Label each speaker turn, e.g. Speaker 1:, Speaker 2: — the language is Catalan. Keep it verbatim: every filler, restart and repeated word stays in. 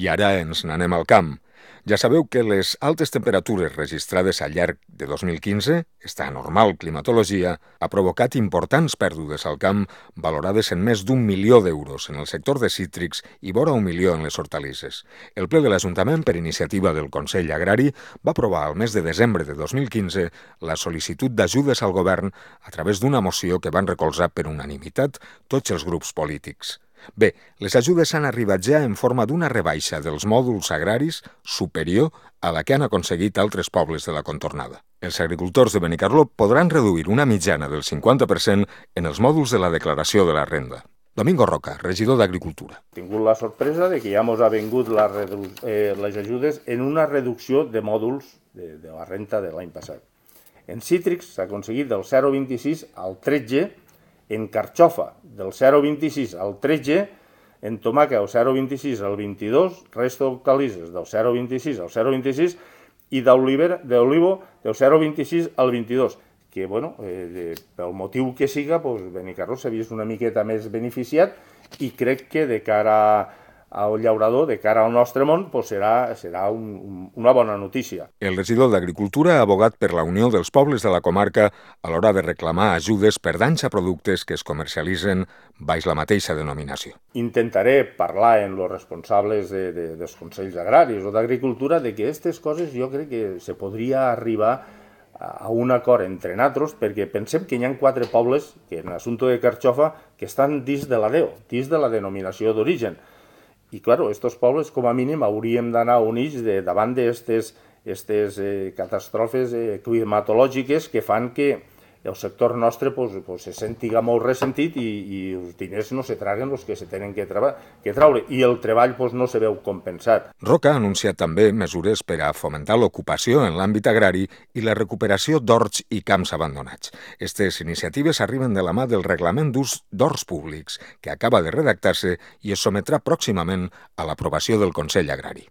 Speaker 1: I ara ens n'anem al camp. Ja sabeu que les altes temperatures registrades al llarg de dos mil quinze, esta anormal climatologia, ha provocat importants pèrdues al camp valorades en més d'un milió d'euros en el sector de cítrics i vora un milió en les hortalisses. El ple de l'Ajuntament, per iniciativa del Consell Agrari, va aprovar al mes de desembre de dos mil quinze la sol·licitud d'ajudes al govern a través d'una moció que van recolzar per unanimitat tots els grups polítics. Bé, les ajudes han arribat ja en forma d'una rebaixa dels mòduls agraris superior a la que han aconseguit altres pobles de la contornada. Els agricultors de Benicarló podran reduir una mitjana del cinquanta per cent en els mòduls de la declaració de la renda. Domingo Roca, regidor d'Agricultura.
Speaker 2: He tingut la sorpresa de que ja ens ha vingut la redu eh, les ajudes en una reducció de mòduls de, de la renta de l'any passat. En cítrics s'ha aconseguit del zero coma vint-i-sis al tretze, en carxofa del zero coma vint-i-sis al tretze, en tomàquet del zero coma vint-i-sis al vint-i-dos, resta d'hortalisses del zero coma vint-i-sis al zero coma vint-i-sis i d'olivo del zero coma vint-i-sis al vint-i-dos, que, bueno, eh, de, pel motiu que siga, pues, Benicarló s'ha vist una miqueta més beneficiat i crec que de cara al llaurador, de cara al nostre món, pues serà, serà un, un, una bona notícia.
Speaker 1: El regidor d'Agricultura ha abogat per la unió dels pobles de la comarca a l'hora de reclamar ajudes per danys a productes que es comercialitzen baix la mateixa denominació.
Speaker 2: Intentaré parlar amb els responsables de, de, dels Consells Agraris o d'Agricultura de que aquestes coses jo crec que se podria arribar a un acord entre nosaltres, perquè pensem que hi ha quatre pobles que en l'assumpte de carxofa que estan dins de la D E O, dins de la denominació d'origen. I, clar, aquests pobles, com a mínim, hauríem d'anar units de, davant d'aquestes eh, catàstrofes eh, climatològiques que fan que el sector nostre pues, pues, se sentiga molt ressentit i, i els diners no se traguen els que se tenen que, que traure i el treball pues, no se veu compensat.
Speaker 1: Roca ha anunciat també mesures per a fomentar l'ocupació en l'àmbit agrari i la recuperació d'horts i camps abandonats. Aquestes iniciatives arriben de la mà del Reglament d'Ús d'Horts Públics, que acaba de redactar-se i es sometrà pròximament a l'aprovació del Consell Agrari.